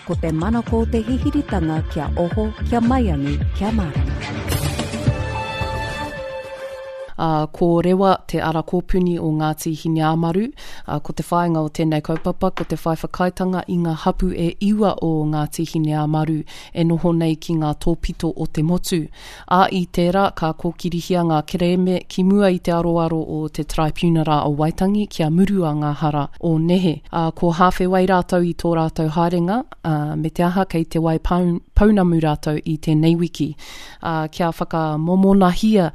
Ko te manako o te hihiritanga kia oho, kia maiangi, kia mārama. Ā, ko Rewa te ara kōpuni o Ngāti Hineāmaru. Ā, ko te whāinga o tēnei kaupapa ko te whai whakaaetanga i ngā hapu e iwa o Ngāti Hineāmaru e noho nei ki ngā tōpito o te motu. Ā, i tērā, ka kōkirihia ngā kerēme ki mua i te aroaro o te Taraipiunara o Waitangi kia murua ngā hara o nehe. Ā, ko Hāwhewai rātou i tō rātou haerenga, ā, me te aha kei Te Wai Pounamu rātou i tēnei wiki. Ā, kia whakamomonahia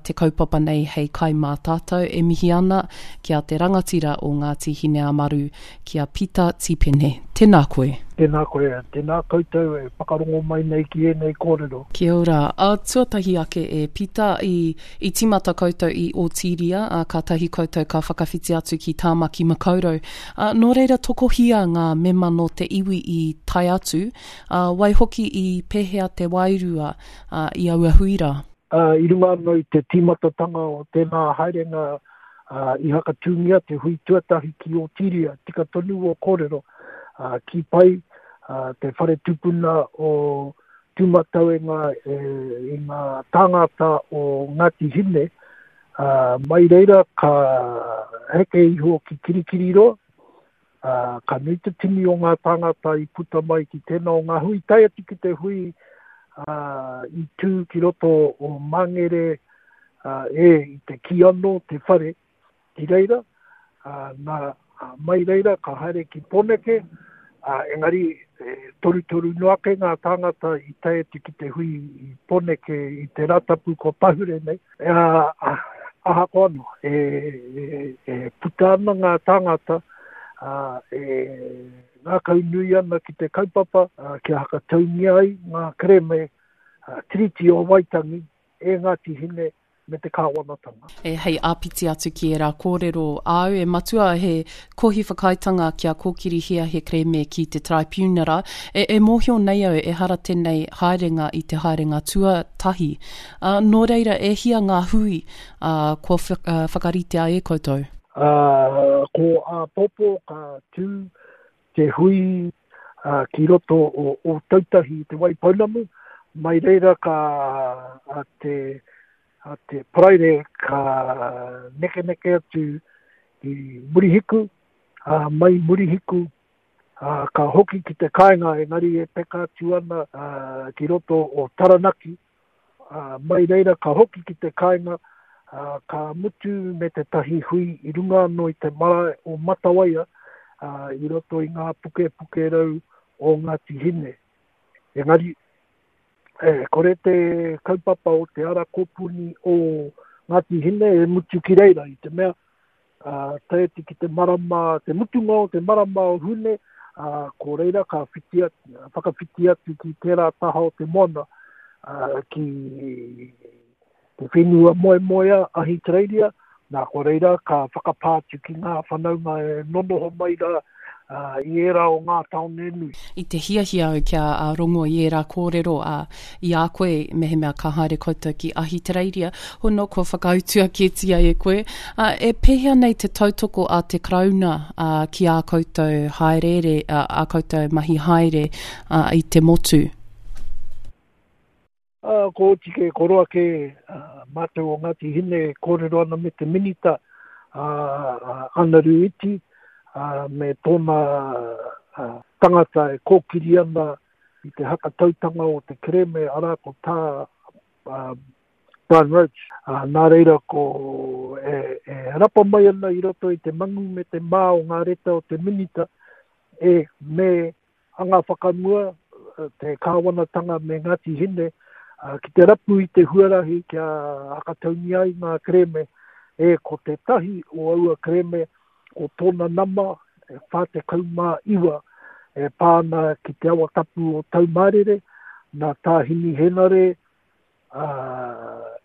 te kaupapa nei hei kai mā tātou, e mihi ana ki a te rangatira o Ngāti Hineāmaru, ki a Pita Tipene. Tēnā koe. Tēnā koe, tēnā koutou e whakarongo mai nei ki ēnei kōrero. Kia ora. Ā, tuatahi ake e Pita, i, i tīmata koutou i Ōtīria, ā, kātahi koutou ka whakawhiti atu ki Tāmaki Makaurau. Ā, nō reira tokohia ngā mema nō te iwi i tae atu, ā, waihoki i pēhea te wairua, ā, i aua hui rā? Ā, i runga anō i te tīmatatanga o tēnā haerenga, ā, i hakatūngia te hui tuatahi ki Ōtīria, tika tonu ō kōrero, ā, kī pai, ā, te whare tupuna o Tūmatauenga e, i ngā tāngata o Ngāti Hine, ā, mai reira ka heke iho ki Kirikiriroa, ā, ka nui te tini o ngā tāngata i puta mai ki tēnā o ngā hui, tae atu ki te hui, ā, i tū ki roto o Mangere, ā, e, i te kī anō te whare ki reira, ā, nā, mai reira ka haere ki Pōneke, ā, engari e torutoru noa ake ngā tāngata i tae atu ki te hui i Pōneke i te Rātapu kua pahure nei, ā, ahakoa anō, e, e, e puta ana ngā tāngata, ā, e ngākaunui ana ki te kaupapa, ā, kia hakataungia ai ngā kerēme Tiriti o Waitangi e Ngāti Hine me te kāwanatanga. E, hei āpiti atu ki ērā kōrero āu, e Matua, he kohi whakaaetanga kia kōkirihia he kerēme ki te Taraipiunara. E, e mōhio nei au ehara tēnei haerenga i te haerenga tuatahi. Ā, nō reira, e hia ngā hui, ā, kua whakaritea e koutou? Ā, ko āpōpō ka tū te hui ki roto o Ōtautahi i Te Waipounamu, mai reira ka a te, a te Paraire ka nekeneke atu i Murihiku, ā, mai Murihiku, ā, ka hoki ki te kāinga engari e peka atu ana ki roto o Taranaki, Ā, mai reira ka hoki ki te kāinga, ā, ka mutu me tētahi hui i runga anō i te marae o Matawaia, ā, i roto i ngā pukepuke rau o Ngāti Hine. Engari, e kore te kaupapa o te ara kōpuni o Ngāti Hine e mutu ki reira, i te mea, ā, tae atu ki te marama, te mutunga o te marama o Hune, ā, ko reira ka whiti atu, whakawhiti atu ki tērā taha o te moana, ā, ki te whenua moemoea, Ahitereiria, nā, ko reira ka whakapā atu ki ngā whanaunga e nonoho mai rā, ā, i ērā o ngā tāone nui. I te hiahia au kia rongo i ērā kōrero, ā, i a koe mehemea ka haere koutou ki Ahitereiria, hono kua whakautua kētia e koe. Ā, e pēhea nei te tautoko a te Karauna, ā, ki ā koutou hāereere, ā, ā koutou mahi haere, ā, i te motu? Ā, ko oti kē, ko roa kē, ā, mātou o Ngāti Hine e kōrero ana me te Minita, ā, a Anaru Iti, ā, me tōna, ā, tangata e kōkiri ana i te hakatautanga o te kerēme, arā, ko tā Brian Roach. Nā reira ko e, e rapa mai ana i roto i te mangu me te mā o ngā reta o te minita e me anga whakamua te kāwanatanga me Ngāti Hine ki te rapu i te huarahi kia hakataungia ai ngā kerēme e ko tētahi o aua kerēme ko tōna nama e 49 e pā ana ki te awa tapu o Taumārere, nā Tā Himi Henare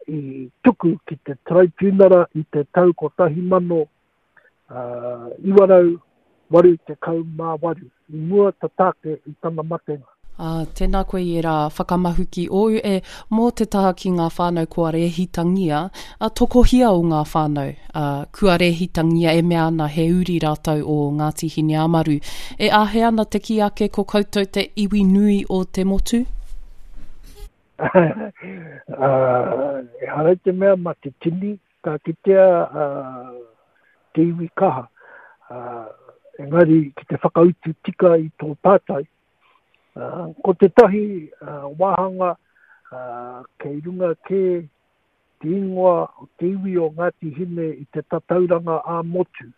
i tuku ki te Taraipiunara i te tau 1988, i mua tata ake i tana matenga. Ā, tēnā koe i ērā whakamahuki ōu e, mō te taha ki ngā whānau kua rēhitangia, ā, tokohia o ngā whānau, ā, kua rēhitangia e mea ana he uri rātou o Ngāti Hineāmaru. E āhei ana te kī ake ko koutou te iwi nui o te motu? Ā, ehara i te mea mā te tini ka kitea te iwi kaha, ā, engari ki te whakautu tika i tō pātai, Ko tētahi wāhanga kei runga kē te ingoa o te iwi o Ngāti Hine i te tatauranga ā-motu.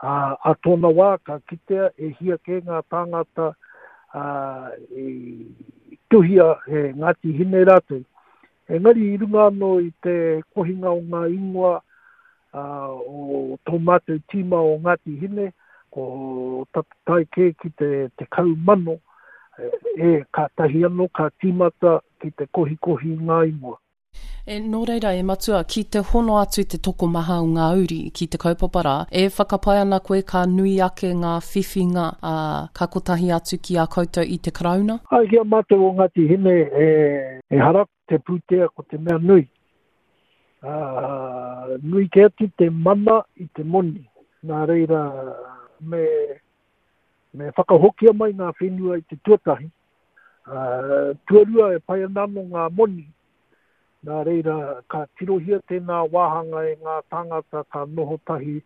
Ā tōna wā ka kitea e hia kē ngā tāngata i tuhia he Ngāti Hine rātou. Engari i runga anō i te kohinga o ngā ingoa o tō mātou tīma o Ngāti Hine, ko tata tae kē ki te 10,000, e, kātahi anō ka tīmata ki te kohikohi i ngā ingoa. E, nō reira, e Matua, ki te hono atu te tokomaha o ngā uri ki te kaupapa rā, e whakapae ana koe ka nui ake ngā whiwhinga, ā, ka kotahi atu ki a koutou i te Karauna? Āe, ki a mātou o Ngāti Hine, e, ehara te pūtea ko te mea nui. Ā, nui kē atu te mana i te moni. Nā reira, me, me whakahokia mai ngā whenua i te tuatahi. Ā, tuarua e pai ana anō ngā moni. Nā reira, ka tirohia tēnā wāhanga e ngā tāngata ka noho tahi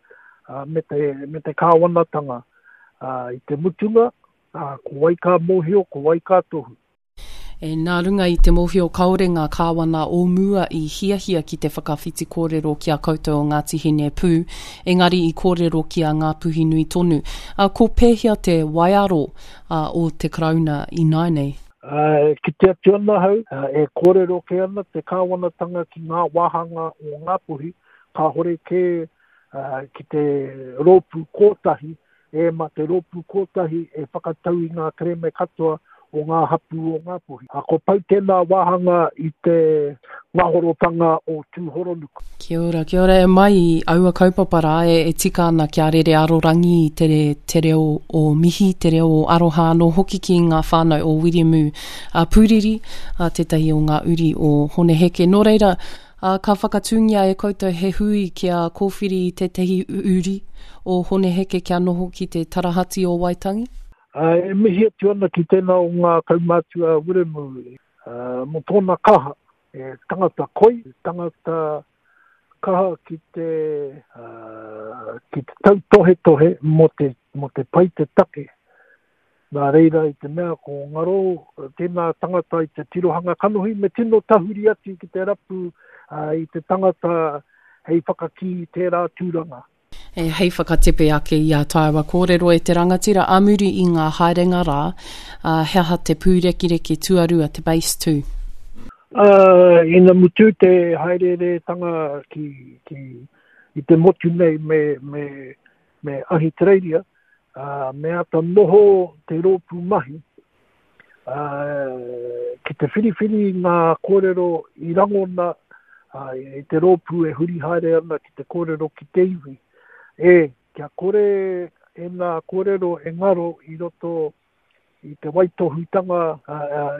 me te, me te kāwanatanga. Ā, i te mutunga, ā, ko wai ka mōhio, ko wai ka tohu. E, nā runga i te mōhio kāore ngā kāwana o mua i hiahia ki te whakawhiti kōrero ki a koutou o Ngāti Hine pū, engari i kōrero ki a Ngāpuhi-nui tonu. A, ko pēhea te waiaro a, o te Karauna ināianei? E kite atu ana ahau, e kōrero kē ana te kāwanatanga ki ngā wāhanga o Ngāpuhi, kāhore kē ki te rōpū kōtahi E ma te rōpū kōtahi e whakatau i ngā kereme katoa o ngā hapū o Ngāpuhi. A ko pau tēnā wāhanga i te ngahorotanga o Tūhoronuku. Kia ora, kia ora e mai i aua kaupapa rā e, e tika ana kia rere arorangi i te, te reo o mihi, te reo o aroha anō hoki ki ngā whānau o Wiremu a Pūriri, a tētahi o ngā uri o Hone Heke. Nō reira, Ā, ka whakatūngia e koutou he hui kia kōwhiri i tētahi uri o Hone Heke kia noho ki te tarahati o Waitangi? Ā, e mihi atu ana ki tēnā o ngā kaumātua a Wiremu, ā, mō tōna kaha, he tangata koi, he tangata kaha ki te, ā, ki te tautohetohe mō te, mō te pai te take. Nā reira, i te mea ko ngaro tēnā tangata i te tirohanga kanohi, me tino tahuri atu ki te rapu i te tangata hei whakakī i tērā tūranga. E, hei whakatepe ake i ā tāua kōrero e te rangatira ā muri i ngā haerenga rā, ā, he aha te pūrekireki tuarua, te base two? Ā, ina mutu te haereeretanga ki, ki, i te motu nei me, me, me Ahitereiria, ā, me āta noho te rōpū mahi, ā, ki te whiriwhiri i ngā kōrero i rangona, ā, i te rōpū e huri haere ana ki te kōrero ki te iwi, e, kia kore ēnā kōrero e ngaro i roto i te waitohutanga,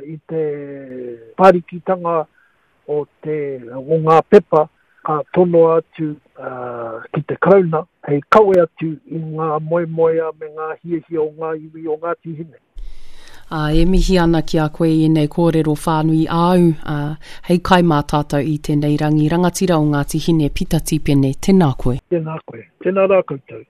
i te whārikitanga o te, o ngā pepa ka tonoa atu ki te Karauna hei kawe atu i ngā moemoeā me ngā hiahia o ngā iwi o Ngāti Hine. Ā, e mihi ana ki a koe i ēnei kōrero whānui āu, ā, hei kai mā tātou i tēnei rangi rangatira o Ngāti Hine, Pita Tīpene, tēnā koe. Tēnā koe. Tēnā rā koutou.